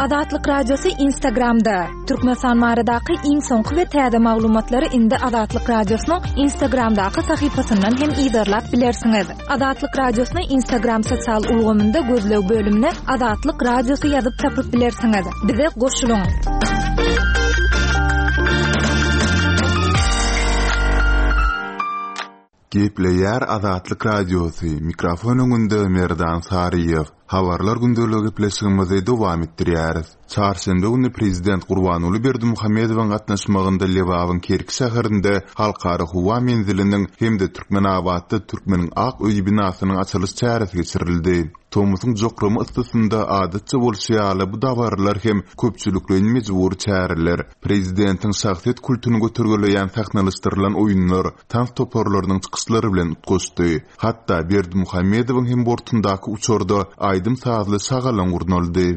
Azatlyk Radiosy Instagramda! Türkmenistan baradaky iň soňky we täze maglumatlary indi Azatlyk Radiosynyň Instagramdaky sahypasyndan hem yzarlap bilersiňiz. Azatlyk Radiosyny Instagram sosial ulgamynda gözleg bölümine Azatlyk Radiosy ýazyp tapyp bilersiňiz. Bize goşulyň! Gepleýär Azatlyk Radiosy, mikrofon öňünde Merdan Saryýew. Habarlar gündeligi gepleşigimizi dowam etdirýäris. Çarşenbe güni prezident Gurbanguly Berdimuhamedowyň gatnaşmagynda Lebabyň Kerki şäherinde Halkara howa menziliniň hem-de Türkmenabatda Türkmeniň ak öýi binasynyň açylyş çäresi geçirildi. Tomusyň jokrama yssysynda adatça bolşy ýaly bu dabaralar hem köpçülikleýin mejbury çäreler, prezidentiň şahsyýet kultuny götergeleýän sahnalaşdyrylan oýunlar, tans toparlarynyň çykyşlary bilen utgaşdy. Hatda Berdimuhamedowyň hem bortundaky uçarda aýdym-sazly şagalaň gurnaldy.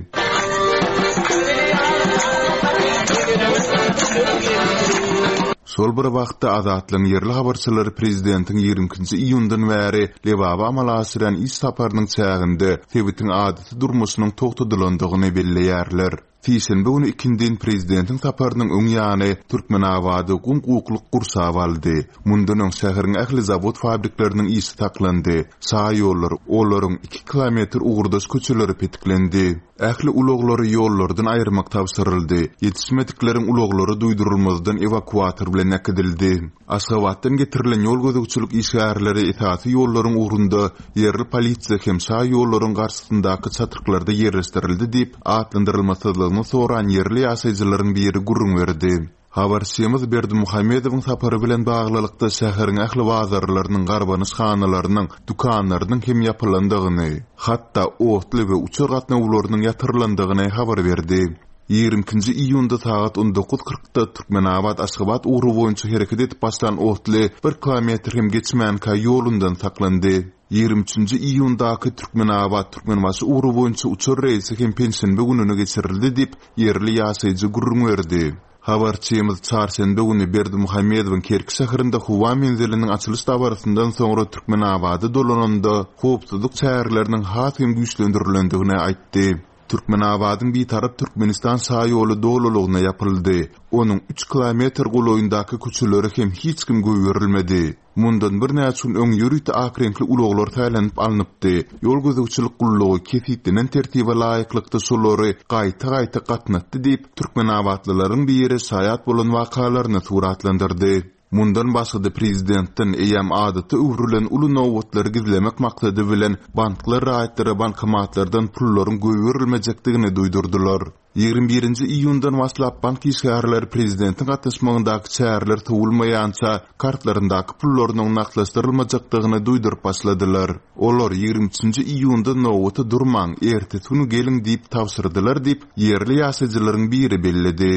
Şol bir wagtda, Azatlygyň ýerli habarçylary prezidentiň 22-nji iýundan bäri Lebaba amala aşyrýan iş saparynyň çäginde sebitiň adaty durmuşynyň togtadylandygyny belleýärler. Sişenbe güni ikindin prezidentiň saparynyň öň ýany Türkmenabady gum-gukluk gurşap aldy. Mundan öň şäheriň ähli zawod-fabrikleriniň işi saklandy, şaýollar, olaryň iki kilometr ugurdaş köçeleri petiklendi. Ähli ulaglary ýollardan aýyrmak tabşyryldy, ýetişmedikleriň ulaglary duýdurylmazdan ewakuator bilen äkidildi. Aşgabatdan getirilen ýol gözegçilik işgärleri esasy ýollaryň ugrunda ýerli polisiýa hem şaýollaryň garşysyndaky çatryklarda ýerleşdirildi diýip, atlandyrylmasyzlygyny soran ýerli ýaşaýjylaryň biri gürrüň berdi. Habarçymyz Berdimuhamedowyň sapary bilen baglylykda şäheriň ähli bazarlarynyň, garbanyşhanalarynyň, dükanlarynyň hem ýapylandygyny, hatda otly we uçar gatnawlarynyň ýatyrylandygyny habar berdi. 22-nji iýunda sagat 19 kyrkda Türkmenabat-Aşgabat ugry boýunça hereket edip başlan otly bir kilometr hem geçmänkä ýolundan saklandy. 23-nji iýundaky Türkmenabat-Türkmenbaşy ugry boýunça uçar reýsi hem penşenbe gününe geçirildi diýip, ýerli ýaşaýjy gürrüň berdi. Habarçymyz çarşenbe güni Berdimuhamedowyň Kerki şäherinde howa menziliniň açylyş dabarasyndan soňra Türkmenabada dolananda howpsuzlyk çäreleriniň has hem güýçlendirilendigini aýtdy. Türkmenabadyň Bitarap Türkmenistan şaýoly dolulygyna ýapyldy. Onuň üç kilometr golaýyndaky köçelere hem hiç kim goýberilmedi. Mundan birnäçe gün öň ýörite ak reňkli ulaglar saýlanyp alnypdy. Ýol gözegçilik gullugy kesgitlenen tertibe laýyklykda şolary gaýta-gaýta gatnatdy diýip, türkmenabatlylaryň biri şaýat bolan wakalaryny suratlandyrdy. Mundan başga-da prezidentden eýýäm adata öwrülen uly nobatlary gizlemek maksady bilen banklar raýatlara bankomatlardan pullaryň goýberilmejekdigini duýdurdylar. 21-nji iýundan başlap bank işgärleri prezidentiň gatnaşmagyndaky çäreler sowulmaýança kartlaryndaky pullarynyň nagtlaşdyrylmajakdygyny duýduryp başladylar. Olar 23-nji iýunda nobata durmaň, ertesi güni geliň diýip tabşyrdylar diýip, ýerli ýaşaýjylaryň biri belledi.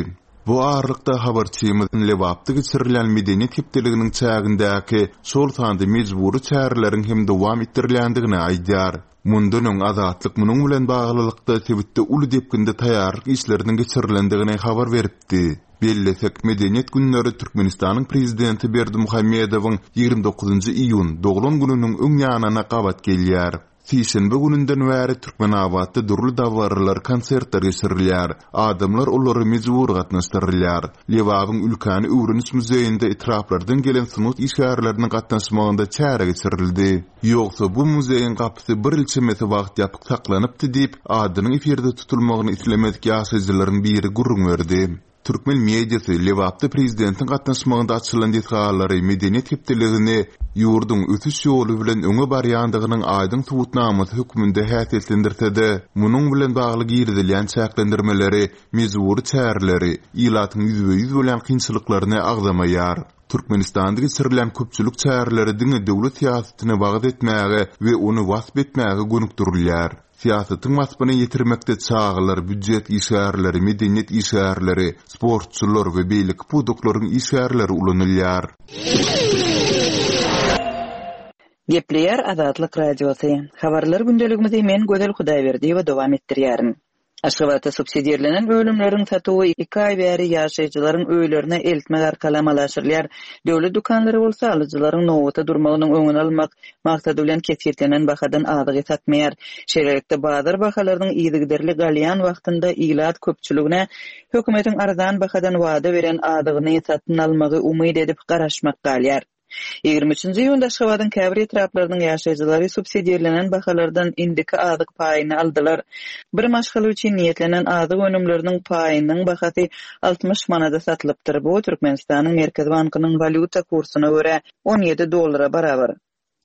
Bu aralykda habarçymyz Lebapda geçirilýän Medeniýet hepdeliginiň çägindäki şol sanda mejbury çäreleriň hem dowam etdirilýändigini aýdýar. Mundan öň Azatlyk munuň bilen baglylykda sebitde uly depginde taýýarlyk işleriniň geçirilendigini habar beripdi. Bellesek, Medeniýet günleri Türkmenistanyň Prezidenti Berdimuhamedowyň 29-njy iýun, doglan gününiň öň ýanyna gabat gelýär. Sişenbe gününden bäri Türkmenabatda dürli dabaralar, konsertler geçirilýär. Adamlar olara mejbury gatnaşdyrylýar. Lebabyň Ülkäni öwreniş muzeýinde etraplardan gelen sungat işgärleriniň gatnaşmagynda çäre geçirildi. Ýogsa bu muzeýiň gapysy bir ýyl çemesi wagt ýapyk saklanypdy diýip, adynyň efirde tutulmagyny islemedik ýaşaýjylaryň biri gürrüň berdi. Türkmen mediasy Lebapda prezidentiň gatnaşmagynda açylan desgalary, Medeniýet hepdeligini ýurduň ösüş ýoly bilen öňe barýandygynyň aýdyň subutnamasy hökmünde häsiýetlendirse-de, munuň bilen bagly girizilýän çäklendirmeleri, mejbury çäreleri, ilatyň ýüzbe-ýüz bolýan kynçylyklaryny agzamaýar. Türkmenistanda geçirilýän köpçülik çäreleri diňe döwlet syýasatyny wagyz etmäge we ony wasp etmäge gönükdirilýär. Syýasatyň waspyny ýetirmekde çagalar, býujet işgärleri, medeniýet işgärleri, sportçular we beýleki pudaklaryň işgärleri ulanylýar. Gepleýär Azatlyk Radiosy. Habarlar gündeligimizi men Gözel Hudaýberdiýewa dowam etdirýärin. Aşgabatda subsidirlenen önümleriň satuwy iki aý bäri ýaşaýjylaryň öýlerine eltmek arkaly amala aşyrylýar. Döwlet dükanlary bolsa alyjylaryň nobata durmagynyň öňüni almak maksady bilen kesgitlenen bahadan azygy satmaýar. Şeýlelikde, bazar bahalarynyň yzygiderli galýan wagtynda ilat köpçüligine hökümetiň arzan bahadan wada beren azygyny satyn almagy umyt edip garaşmak galýar. 23-nji iýunda Aşgabadyň käbir etraplarynyň ýaşaýjylary subsidirlenen bahalardan indiki azyk paýyny aldylar. Bir maşgala üçin niýetlenen azyk önümleriniň paýynyň bahasy 60 manada satylypdyr. Bu Türkmenistanyň Merkezi bankynyň walýuta kursuna görä 17 dollara barabar.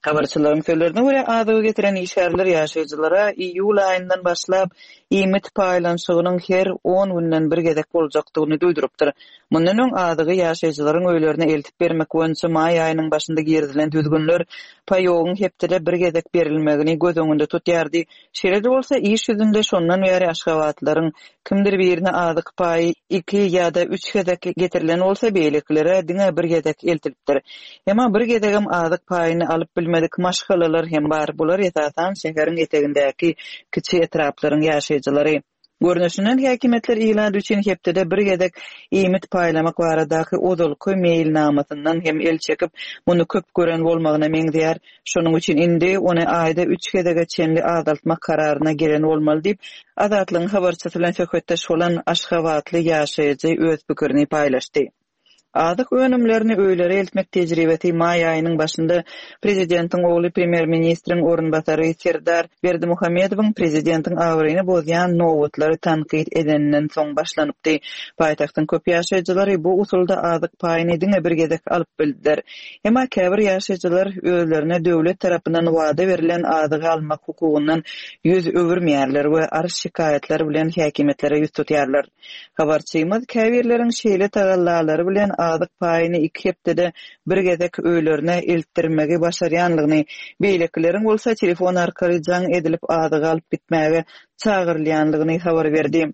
Habarçylaryň sözlerine görä, azygy getiren işgärler ýaşaýjylara iýul aýyndan başlap iýmit paýlanyşygynyň her on günden bir gezek boljakdygyny duýdurypdyr. Mundan öň azygy ýaşaýjylaryň öýlerine eltip bermek boýunça maý aýynyň başynda girizilen düzgünler paýogyň hepdede bir gezek berilmegini göz öňünde tutýardy. Şeýle-de bolsa, iş ýüzünde şondan bäri aşgabatlylaryň kimdir birine azyk paýy iki ýa-da üç gezek getirilen bolsa, beýlekilere diňe bir gezek eltilipdir. Emma bir gezegem azyk paýyny alyp bilmedik maşgalalar hem bar, bular esasan şäheriň etegindäki kiçi etraplaryň ýaşaýjylary. Görnüşinden, häkimiýetler ilat üçin hepdede bir gezek iýmit paýlamak baradaky ozalky meýilnamasyndan hem el çekip, muny köp gören bolmagyna meňzeýär. Şonuň üçin indi ony aýda üç gezege çenli azaltmak kararyna gelen bolmaly diýip, Azatlygyň habarçysy bilen söhbetdeş bolan aşgabatly ýaşaýjy öz pikirini paýlaşdy. Azyk önümlerini öýlere eltmek tejribesi maý aýynyň başynda prezidentiň ogly premýer-ministriň orunbasary Serdar Berdimuhamedowyň prezidentiň abraýyny bozýan nobatlary tankyt edeninden soň başlanypdy. Paýtagtyň köp ýaşaýjylary bu usulda azyk paýyny diňe bir gezek alyp bildiler. Emma käbir ýaşaýjylar özlerine döwlet tarapyndan wada berlen azygy almak hukugyndan ýüz öwürmeýärler we arz-şikaýatlar bilen häkimiýetlere ýüz tutýarlar. Habarçymyz käbirleriň şeýle tagallalary bilen azyk paýyny iki hepdede bir gezek öýlerine eltdirmegi başarýanlygyny, beýlekileriň bolsa telefon arkaly jaň edilip azygy alyp gitmäge çagyrylýanlygyny habar berdi.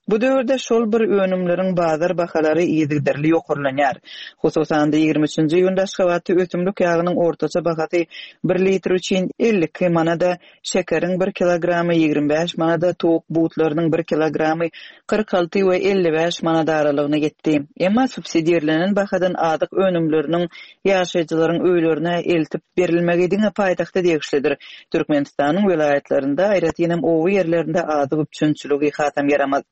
Bu döwürde şol bir önümleriň bazar bahalary yzygiderli ýokarlanýar. Hususan-da, 23-nji iýunda Aşgabatda ösümlik ýagynyň ortaça bahasy bir litr üçin 52 manada, Şekeriň bir kilogramy 25 manada, towuk butlarynyň bir kilogramy 46 we 55 manat aralygyna ýetdi. Emma subsidirlenen bahadan azyk önümleriniň ýaşaýjylaryň öýlerine eltip berilmegi diňe paýtagta degişlidir. Türkmenistanyň welaýatlarynda, aýratynam oba ýerlerinde azyk üpjünçiligi hasam ýaramaz.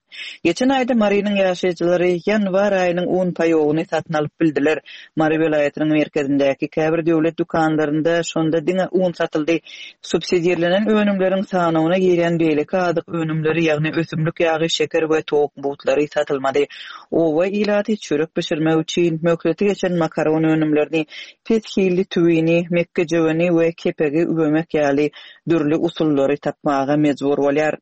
Geçen aýda Marynyň ýaşaýjylary ýanwar aýynyň un paýogyny satyn alyp bildiler. Mary welaýatynyň merkezindäki käbir döwlet dükanlarynda şonda diňe un satyldy. Subsidirlenen önümleriň sanawyna girýän beýleki azyk önümleri, ýagny ösümlik ýagy, şeker we towuk butlary satylmady. Oba ilaty çörek bişirmek üçin möhleti geçen makaron önümlerini, pes hilli tüwini, mekgejöweni we kepegi üwemek ýaly dürli usullary tapmaga mejbur bolýar.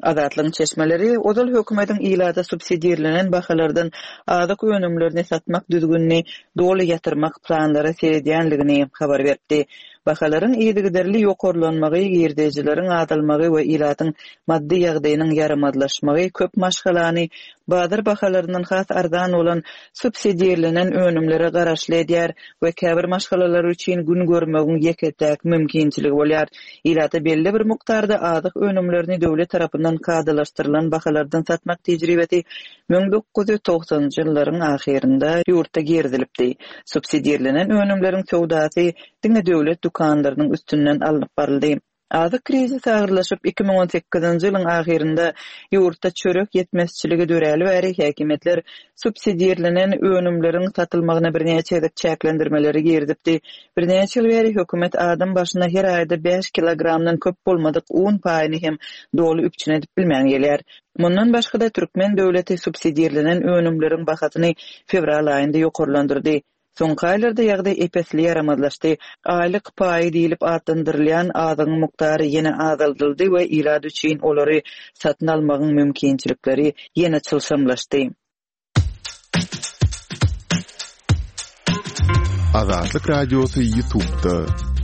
Azatlygyň çeşmeleri ozal hökümetiň ilata subsidirlenen bahalardan azyk önümlerini satmak düzgünini doly ýatyrmak planlara seredýänligini habar beripdi. Bahalaryň yzygiderli ýokarlanmagy, girdejileriň azalmagy we ilatyň maddy ýagdaýynyň ýaramazlaşmagy köp maşgalany bazar bahalaryndan has arzan bolan subsidirlenen önümlere garaşly edýär we käbir maşgalalar üçin gün görmegiň ýeke-täk mümkinçiligi bolýar. Ilata belli bir mukdarda azyk önümlerini döwlet tarapyndan kadalaşdyrylan bahalardan satmak tejribesi 1990-njy ýyllaryň ahyrynda ýurtda girizilipdi. Subsidirlenen önümleriň söwdasy diňe döwlet dükanlarynyň üstünden alnyp baryldy. Azyk krizisi agyrlaşyp, 2018-nji ýylyň ahyrynda ýurtda çörek ýetmezçiligi döräli bäri häkimiýetler subsidirlenen önümleriň satylmagyna birnäçe gezek çäklendirmeleri girizipdi. Birnäçe ýyl bäri hökümet adam başyna her aýda bäş kilogramdan köp bolmadyk un paýyny hem doly üpjün edip bilmän gelýär. Mundan başga-da, türkmen döwleti subsidirlenen önümleriň bahasyny fewral aýynda ýokarlandyrdy. Soňky aýlarda ýagdaý ep-esli ýaramazlaşdy. Aýlyk paýy diýlip atlandyrylýan azygyň mukdary ýene azaldyldy we ilat üçin olary satyn almagyň mümkinçilikleri ýene çylşyrymlaşdy. Azatlyk Radiosy YouTube'da.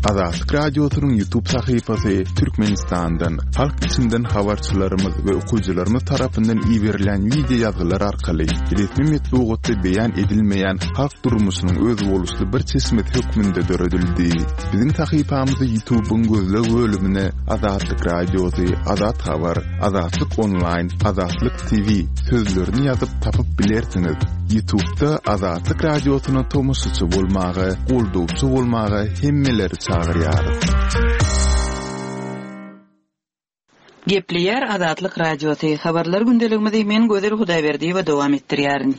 Azatlyk Radiosynyň YouTube sahypasy Türkmenistandan, halk içinden habarçylarymyz we okyjylarymyz tarapyndan iberilýän wideo ýazgylar arkaly resmi metbugatda beýan edilmeýän halk durmuşynyň özboluşly bir çeşmesi hökmünde döredildi. Biziň sahypamyzy YouTube-yň gözleg bölümine Azatlyk Radiosy, Azat Habar, Azatlyk Onlaýn, Azatlyk TV sözlerini ýazyp tapyp bilersiňiz. Ýutubda Azatlyk Radiosyna tomaşaçy bolmaga, goldawçy bolmaga hemmeleri çagyrýarys. Gepleýär Azatlyk Radiosy, Habarlar gündeligimizi men Gözel Hudaýberdiýewa dowam etdirýärin.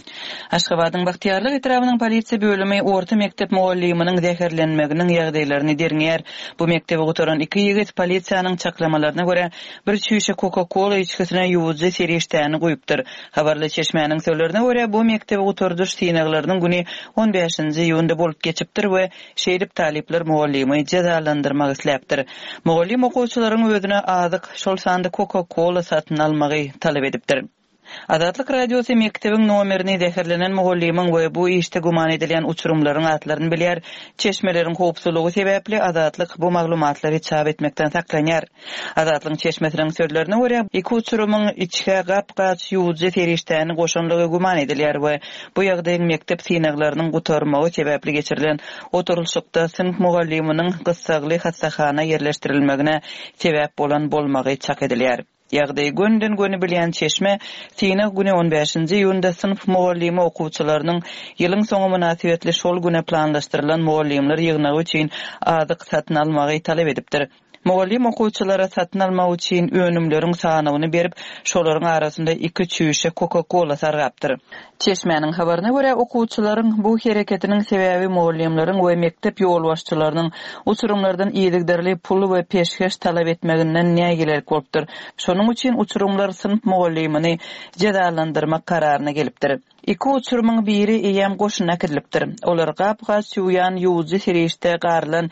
Aşgabadyň Bagtyýarlyk etrabynyň polisiýa bölümi orta mekdep mugallymynyň zäherlenmeginiň ýagdaýlaryny derňeýär. Bu mekdebi gutaran iki ýigit, polisiýanyň çaklamalaryna görä, bir çüýşe Coca-Cola içgisine ýuwujy serişdäni guýupdyr. Habarly çeşmäniň sözlerine görä, bu mekdebi gutardyş synaglarynyň güni on bäşinji iýunda bolup geçipdir we şeýdip talyplar mugallymy jezalandyrmak isläpdir. Mugallym okuwçylaryň özüne azyk, şol sanda Coca-Cola satyn almagy talap edipdir. Azatlyk Radiosy mekdebiň nomerini zäherlenen mugallymyň we bu işde güman edilýän uçurymlaryň atlaryny bilýär. Çeşmeleriň howpsuzlygy sebäpli Azatlyk bu maglumatlary çap etmekden saklanýar. Azatlygyň çeşmesiniň sözlerine görä, iki uçurymyň içgä gap-gaç ýuwujy serişdäni goşanlygy güman edilýär we bu ýagdaýyň mekdep synaglarynyň gutarmagy sebäpli geçirilen oturylyşykda synp mugallymynyň gyssagly hassahana ýerleşdirilmegine sebäp bolan bolmagy çak edilýär. Ýagdaýy gönüden-göni bilýän çeşme synag güni on bäşinji iýunda synp mugallymy okuwçylarynyň ýylyň soňy mynasybetli şol güne planlaşdyrylan mugallymlar ýygnagy üçin azyk satyn almagy talap edipdir. Mugallym okuwçylara satyn almak üçin önümleriň sanawyny berip, şolaryň arasynda iki çüýşe Coca-Cola sargapdyr. Çeşmäniň habaryna görä, okuwçylaryň bu hereketiniň sebäbi mugallymlaryň we mekdep ýolbaşçylarynyň uçurymlardan yzygiderli pul we peşgeş talap etmeginden nägilelik bolupdyr. Şonuň üçin uçurymlar synp mugallymyny jezalandyrmak kararyna gelipdir. Iki uçurymyň biri eýýäm goşuna äkidilipdir. Olar gap-gaç ýuwýan ýuwujy serişde garylan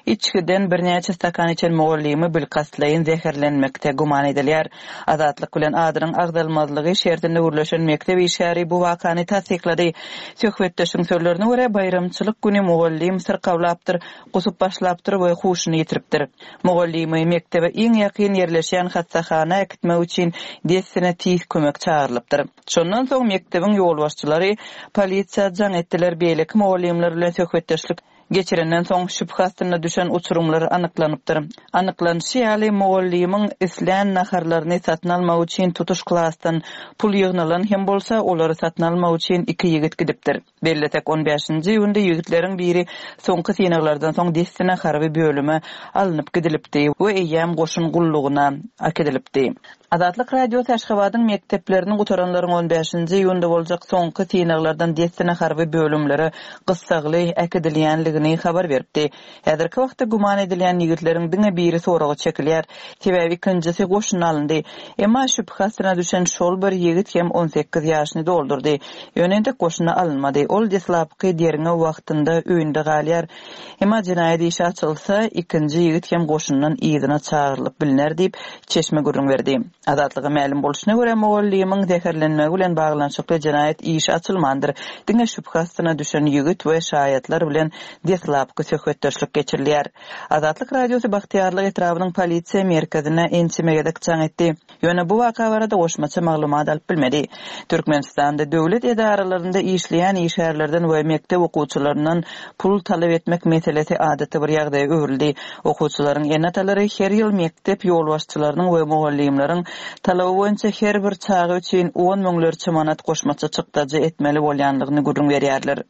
içgiden birnäçe stakan içen mugallymy bilkastlaýyn zäherlenmekde güman edilýär. Azatlyk bilen adynyň agzalmazlygy şertinde gürleşen mekdep işgäri bu wakany tassyklady. Söhbetdeşiň sözlerine görä, baýramçylyk güni mugallym syrkawlapdyr, gusup başlapdyr we huşuny ýitiripdir. Mugallymy mekdebe iň ýakyn ýerleşýän hassahana äkitmek üçin dessine tiz kömek çagyrylypdyr. Şondan soň mekdebiň ýolbaşçylary polisiýa jaň etdiler, beýleki mugallymlar bilen söhbetdeşlik geçirenden soň şübhe astynda düşen uçurymlar anyklanypdyr. Anyklanyşy ýaly, mugallymyň islän naharlaryny satyn almak üçin tutuş klasdan pul ýygnalan hem bolsa, olary satyn almak üçin iki ýigit gidipdir. Bellesek, on bäşinji iýunda ýigitleriň biri soňky synaglardan soň dessine harby bölüme alnyp gidilipdi we eýýäm goşun gullugyna äkidilipdi. Azatlyk Radiosy Aşgabadyň mekdeplerini gutaranlaryň on bäşinji iýunda boljak soňky synaglardan dessine harby bölümlere gyssagly äkidilýänligini habar beripdi. Häzirki wagtda güman edilýän ýigitleriň diňe biri soraga çekilýär. Sebäbi ikinjisi goşuna alyndy. Emma şübhe astyna düşen şol bir ýigit hem 18 ýaşyny doldurdy. Ýöne entek goşuna alynmady. Ol deslapky derňew wagtynda öýünde galýar. Emma jenaýat işi açylsa, ikinji ýigit hem goşundan yzyna çagyrylyp bilner diýip, çeşme gürrüň berdi. Azatlyga mälim bolşuna görä, mugallymyň zäherlenmegi bilen baglanyşykly jenaýat işi açylmandyr, diňe şübhe astyna düşen ýigit we şaýatlar bilen deslapky söhbetdeşlik geçirilýär. Azatlyk Radiosy Bagtyýarlyk etrabynyň polisiýa merkezine ençeme gezek jaň etdi. Ýöne bu waka barada goşmaça maglumat alyp bilmedi. Türkmenistanda döwlet edaralarynda işleýän işgärlerden we mekdep okuwçylaryndan pul talap etmek meselesi adaty bir ýagdaýa öwrüldi. Okuwçylaryň ene-atalary her ýyl mekdep ýolbaşçylarynyň we mugallymlaryň talaby boýunça her bir çaga üçin on müňlerçe manat goşmaça çykdajy etmeli bolýanlygyny gürrüň berýärler.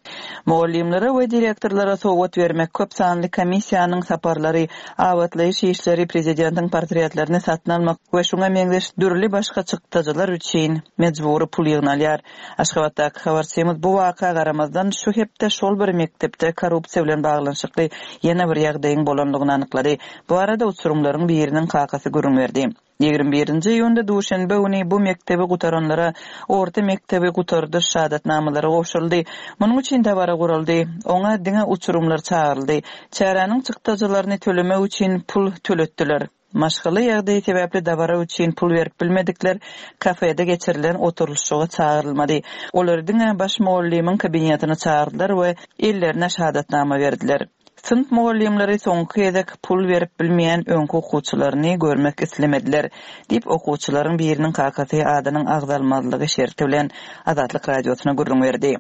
Mugallymlara we direktorlara sowgat bermek, köp sanly komissiýanyň saparlary, abatlaýyş işleri, prezidentiň portretlerini satyn almak we şuňa meňzeş dürli başga çykdajylar üçin mejbury pul ýygnalýar. Aşgabatdaky habarçymyz bu waka garamazdan, şu hepde şol bir mekdepde korrupsiýa bilen baglanyşykly ýene bir ýagdaýyň bolandygyny anyklady. Bu barada uçurymlaryň biriniň kakasy gürrüň berdi. 21-nji iýunda duşenbe güni bu mekdebi gutaranlara orta mekdebi gutardyş şahadatnamalary gowşuryldy. Munuň üçin dabara guraldy. Oňa diňe uçurymlar çagyryldy. Çäräniň çykdajylaryny tölemek üçin pul töletdiler. Maşgala ýagdaýy sebäpli dabara üçin pul berip bilmedikler kafede geçirilen oturylyşyga çagyrylmady. Olary diňe baş mugallymyň kabinetine çagyrdylar we ellerine şahadatnama berdiler. Synp mugallymlary soňky gezek pul berip bilmeýän öňki okuwçylaryny görmek islemediler, diýip, okuwçylaryň biriniň kakasy adynyň agzalmazlygy şerti bilen Azatlyk Radiosyna gürrüň berdi.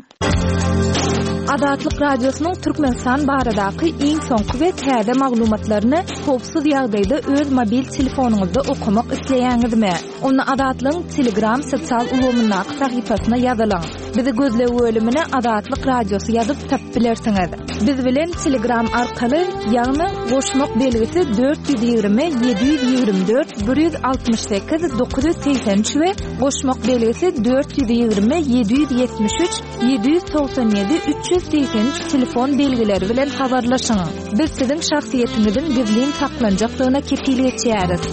Azatlyk Radiosynyň Türkmenistan baradaky iň soňky we täze maglumatlaryny howpsuz ýagdaýda öz mobil telefonyňyzda okamak isleýäňizmi? Onda Azatlygyň Telegram sosial ulgamyndaky sahypasyna ýazylyň. Bizi gözleg bölümine Azatlyk Radiosy ýazyp tapyp bilersiňiz. Biz bilen Telegram arkaly, ýagny goşmak belgisi 420 724 168 983 we goşmak belgisi 420 773 797 383 telefon belgileri bilen habarlaşyň. Biz siziň şahsyýetiňiziň gizlin saklanjakdygyna kepil geçýäris.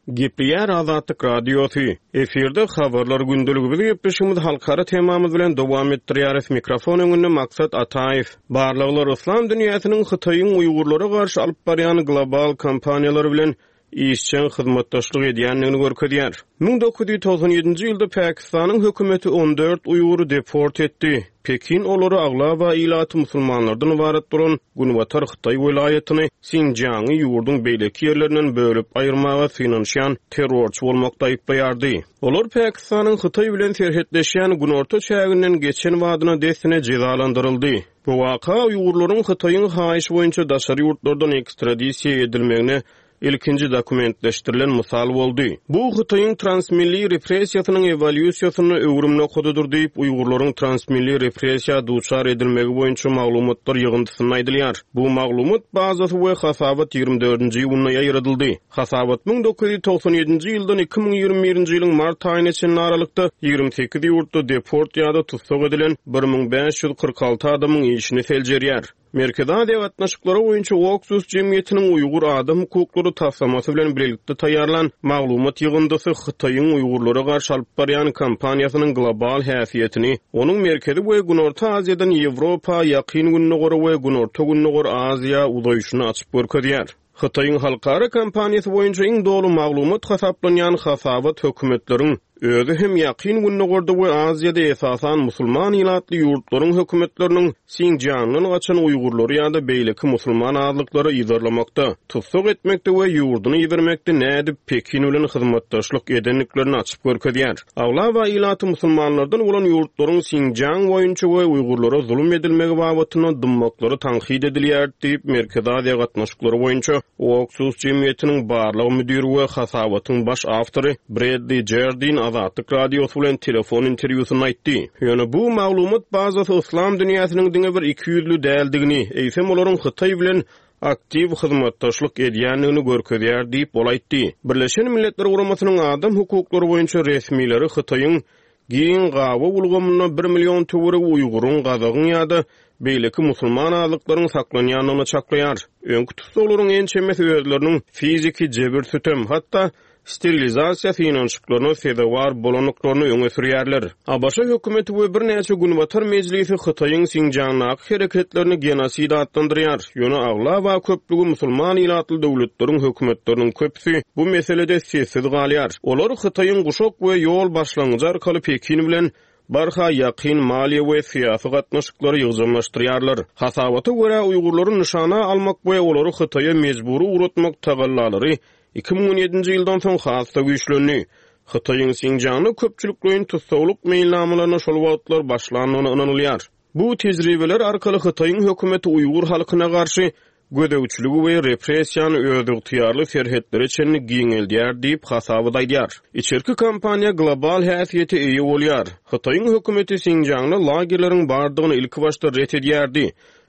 Gepleýär Azatlyk Radiosy. Efirde Habarlar gündeligi biz gepleşigimizi halkara temamyz bilen dowam etdirýäris. Mikrofon öňünde Maksat Ataýew. Barlaglar yslam dünýäsiniň Hytaýyň uýgurlara garşy alyp barýan global kampaniýalary bilen işjeň hyzmatdaşlyk edýändigini görkezýär. 1997-nji ýylda Pakistanyň hökümeti 14 uýgury deport etdi. Pekin olary aglaba ilaty musulmanlardan ybarat bolan günbatar hytaý welaýatyny Sinjiangy ýurduň beýleki ýerlerinden bölüp aýyrmaga synanyşýan terrorçy bolmakda aýyplaýardy. Olar Pakistanyň Hytaý bilen serhetleşýän günorta çäginden geçen badyna dessine jezalandyryldy. Bu waka uýgurlaryň Hytaýyň haýyşy boýunça daşary ýurtlardan ekstradisiýa edilmegine ilkinji dokumentleşdirilen mysal boldy. Bu Hytaýyň transmilli repressiýasynyň ewolýusiýasynda öwrüm nokadydyr diýip, uýgurlaryň transmilli repressiýa duçar edilmegi boýunça maglumatlar ýygyndysynda aýdylýar. Bu maglumat bazasy we hasabat 24-nji iýunda ýaýradyldy. Hasabat 1997-nji ýyldan 2021-nji ýylyň mart aýyna çenli aralykda 28 ýurtda deport ýa-da tussag edilen 1546 adamyň işini seljerýär. Merkezi Aziýa gatnaşyklary boýunça Oksus jemgyýetiniň Uýgur adam hukuklary taslamasy bilen bilelikde taýýarlan maglumat ýygyndysy Hytaýyň uýgurlara garşy alyp barýan kampaniýasynyň global häsiýetini, onuň Merkezi we Günorta Aziýadan Ýewropa, Ýakyn Gündogara we Günorta-Gündogar Aziýa uzaýşyny açyp görkezýär. Hytaýyň halkara kampaniýasy boýunça iň doly maglumat hasaplanýan hasabat hökümetleriň, özi hem Ýakyn Gündogarda we Aziýada esasan musulman ilatly ýurtlaryň hökümetleriniň Sinjiangdan gaçan uýgurlary ýa-da beýleki musulman azlyklary yzarlamakda, tussag etmekde we ýurduny ibermekde nädip Pekin bilen hyzmatdaşlyk edendiklerini açyp görkezýär. Aglaba ilaty musulmanlardan bolan ýurtlaryň Sinjiang boýunça we uýgurlara zulum edilmegi babatynda dymmaklary tankyt edilýär diýip, Merkezi Aziýa gatnaşyklary boýunça Oksus jemgyýetiniň barlag müdiri we hasabatyň baş awtory Bredli Jardin Azatlyk Radiosy bilen telefon interwýusynda aýtdy. Ýöne bu maglumat bazasy yslam dünýäsiniň diňe bir ikiýüzli däldigini, eýsem olaryň Hytaý bilen aktiw hyzmatdaşlyk edýändigini görkezýär diýip, ol aýtdy. Birleşen Milletler Guramasynyň adam hukuklary boýunça resmileri Hytaýyň giň gabaw ulgamynda bir million töweregi uýguryň, gazagyň ýa-da beýleki musulman azlyklaryň saklanýandygyny çaklaýar. Öňki tussaglaryň ençemesi özleriniň fiziki jebir-sütem, hatda sterilizasiýa synanyşyklaryna sezewar bolandyklaryny öňe sürýärler. ABŞ hökümeti we birnäçe günbatar mejlisi Hytaýyň Sinjiangdaky hereketlerini genosid atlandyrýar, ýöne aglaba köplügi musulman ilatly döwletleriň hökümetleriniň köpüsi bu meselede sessiz galýar. Olar Hytaýyň Guşak we ýol başlangyjy arkaly Pekin bilen barha ýakyn maliýe we syýasy gatnaşyklary ýygjamlaşdyrýarlar. Hasabata görä, uýgurlary nyşana almak we olary Hytaýa mejbury ugratmak tagallalary 2017-nji ýyldan soň has-da güýçlendi. Hytaýyň Sinjiangda köpçülikleýin tussaglyk meýilnamalaryna şol wagtlar başlandygyna ynanylýar. Bu tejribeler arkaly Hytaýyň hökümeti uýgur halkyna garşy gözegçiligi we repressiýany özygtyýarly serhetlere çenli giňeldýär diýip, hasabat aýdýar. Içerki kampaniýa global häsiýete eýe bolýar. Hytaýyň hökümeti Sinjiangda lagerleriň bardygyny ilkibaşda ret edýärdi.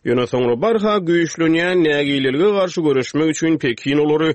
Ýöne soňra barha güýçlenýän nägilelige garşy göreşmek üçin Pekin olary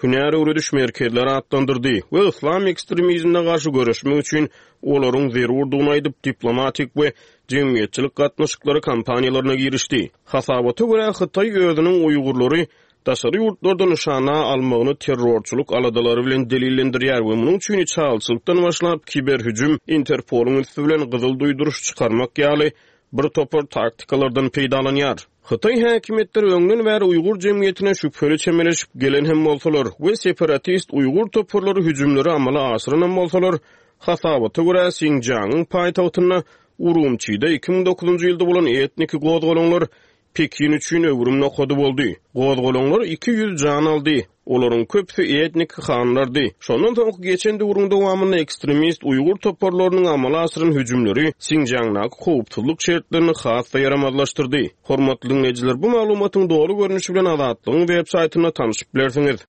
hünär öwrediş merkezleri atlandyrdy we yslam ekstremizmine garşy göreşmek üçin olaryň zerurdygyny aýdyp, diplomatik we jemgyýetçilik gatnaşyklary kampaniýalaryna girişdi. Hasabata görä, Hytaý özüniň uýgurlary daşary ýurtlarda nyşana almagyny terrorçylyk aladalary bilen delillendirýär we munuň üçin içalyçylykdan başlap, kiberhüjüm, Interpolyň üsti bilen gyzyl duýduryş çykarmak ýaly bir topar taktikalardan peýdalanýar. Hytaý häkimiýetleri öňden bäri uýgur jemgyýetine şübheli çemeleşip gelen hem bolsalar we separatist uýgur toparlary hüjümleri amala aşyranam bolsalar, hasabata görä, Sinjiangyň paýtagtynda. Urumçide 2009-njy ýylda bolan etniki gozgalaňlar Pekin üçin öwrüm nokady boldy. Gozgalaňlar 200 jan aldy. Olaryň köpüsi etniki hanlardy. Şondan soňky geçen döwrüň dowamynda ekstremist uýgur toparlarynyň amala aşyran hüjümleri Sinjiangdaky howpsuzlyk şertlerini has-da ýaramazlaşdyrdy. Hormatly diňleýjiler, bu maglumatyň doly görnüşi bilen Azatlygyň web saýtynda tanşyp bilersiňiz.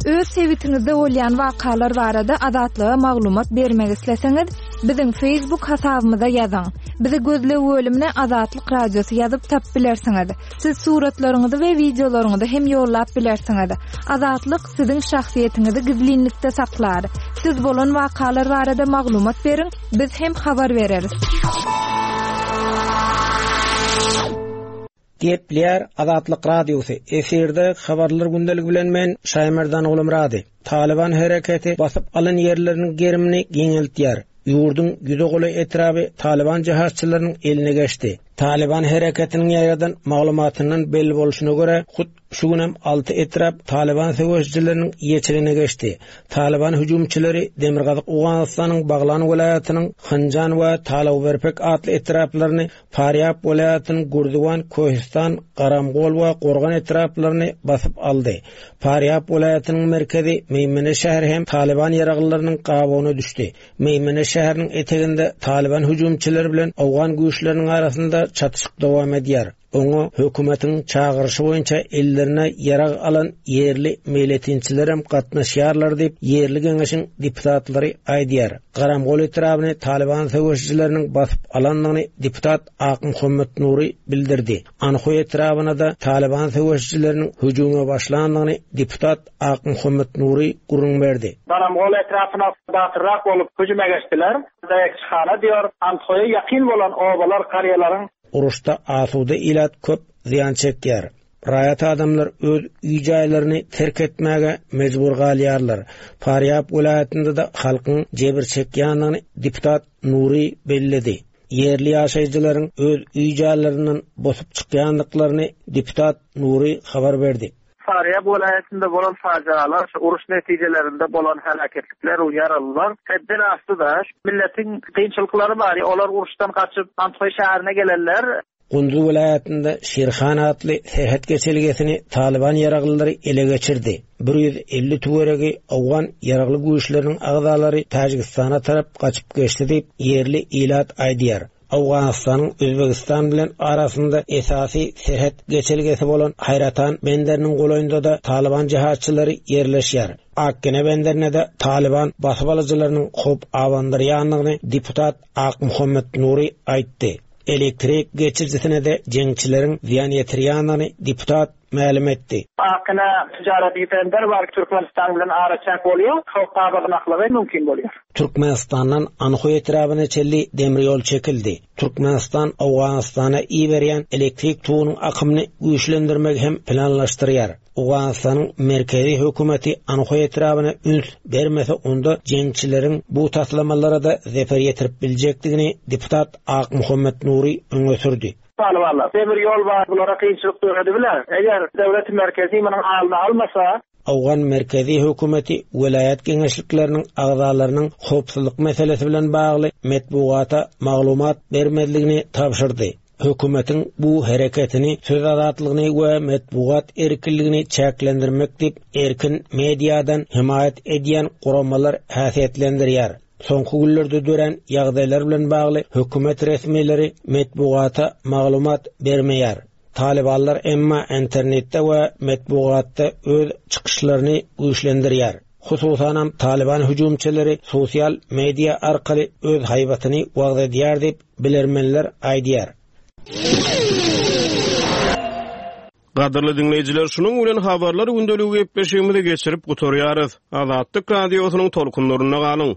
Öz sebitiňizde bolýan wakalar barada Azatlyga maglumat bermek isleseňiz, biziň Facebook hasabymyza ýazyň. Bizi gözleg bölümine Azatlyk Radiosy ýazyp tapyp bilersiňiz. Siz suratlaryňyzy we wideolaryňyzy hem ýollap bilersiňiz. Azatlyk siziň şahsyýetiňizi gizlinlikde saklar. Siz bolan wakalar barada maglumat beriň, biz hem habar bereris. Gepleýär Azatlyk Radiosy, efirde Habarlar gündeligi bilen men Şaýmerdan Gulumyrady. Talyban hereketi basyp alan ýerleriniň gerimini giňeltýär. Ýurduň ýüze golaý etraby Talyban jehatçylarynyň eline geçdi. Talyban hereketiniň ýaýradan maglumatyndan belli bolşuna görä, hut şu günem alty etrap Talyban söweşijileriniň eýeçiligine geçdi. Talyban hüjümçileri demirgazyk Owganystanyň Baglan welaýatynyň Hynjan we Talawberpek atly etraplaryny Farýab welaýatynyň Gürziwan, Köhistan, Garamgol we Gorgan etraplaryny basyp aldy. Farýab welaýatynyň merkezi Meýmene şäheri hem Talyban ýaraglylarynyň gabawyna düşdi. Meýmene şäheriniň eteginde Talyban hüjümçileri bilen owgan güýçleriniň arasynda çatyşyk dowam edýär. Oňa hökümetiň çagyryşy boýunça ellerine ýarag alan ýerli meýletinçilerem gatnaşýarlar diýip, ýerli geňeşiň deputatlary aýdýar. Garamgol etrabyny Talyban söweşijileriniň basyp alandygyny deputat Akmuhammet Nury bildirdi. Anhoý etrabyna-da Talyban söweşijileriniň hüjüme başlandygyny deputat Akmuhammet Nury gürrüň berdi. Garamgol etrapyna batyrrak bolup hüjüme geçdiler. Daýakçyhana diýor, Andhoýa ýakyn bolan obalar, karýalaryň. Uruşda asuda ilat köp zyýan çekýär. Raýat adamlar öz öý-jaýlaryny terk etmäge mejbur galýarlar. Farýab welaýatynda-da halkyň jebir çekýändigini deputat Nury belledi. Ýerli ýaşaýjylaryň öz öý-jaýlaryndan bosup çykýandyklaryny deputat Nury habar berdi. Farýab welaýatynda bolan pajygalar, şu uruş netijelerinde bolan heläketlikler, ýaralylar hetden aşdy-da. Milletiň kynçylyklary bar, olar uruşdan gaçyp, Andhoý şäherine gelenler. Gunduz welaýatynda Şirhan atly serhet geçelgesini Talyban ýaraglylary ele geçirdi. 150 töweregi owgan ýaragly güýçleriniň agzalary Täjigistana tarap gaçyp geçdi diýip, ýerli ilat aýdýar. Owganystanyň Özbegistan bilen arasynda esasy serhet geçelgesi bolan Haýratan benderiniň golaýynda-da Talyban jehatçylary ýerleşýär. Akgene benderine-de Talyban basybalyjylarynyň howp abandyrýandygyny deputat Akmuhammet Nury aýtdy. Elektrik geçirijisine-de jeňçileriň zyýan ýetirýändigini deputat mälim etdi. Akgene tijareti bender bar, Türkmenistan bilen araçäk bolýar, howp abanmaklygy mümkin bolýar. Türkmenistandan Anhoý etrabyna çenli demir ýol çekildi. Türkmenistan Owganystana iberýän elektrik togunyň akymyny güýçlendirmegi hem planlaşdyrýar. Owganystanyň merkezi hökümeti Anhoý etrabyna üns bermese onda jeňçileriň bu taslamalara-da zeper ýetirip biljekdigini deputat Akmuhammet Nury öňe sürdi. Talybanlar, demir ýol bar, bulara kynçylyk döredibiler. Eger döwleti merkezi munuň alyny almasa. Owgan merkezi hökümeti welaýat geňeşlikleriniň agzalarynyň howpsuzlyk meselesi bilen bagly metbugata maglumat bermezligini tabşyrdy. Hökümetiň bu hereketini söz azatlygyny we metbugat erkinligini çäklendirmek diýip, erkin mediadan hemaýat edýän guramalar häsiýetlendirýär. Soňky günlerde dörän ýagdaýlar bilen bagly hökümet resmileri metbugata maglumat bermeýär. Talybanlar emma internetde we metbugatda öz çykyşlaryny güýçlendirýär. Hususanam Talyban hüjümçileri sosial media arkaly öz haýbatyny wagyz edýär diýip, bilermenler aýdýar. Gadyrly diňleýjiler, şunuň bilen Habarlar gündeligi gepleşigimizi geçirip gutarýarys. Azatlyk Radiosynyň tolkunlarynda galyň!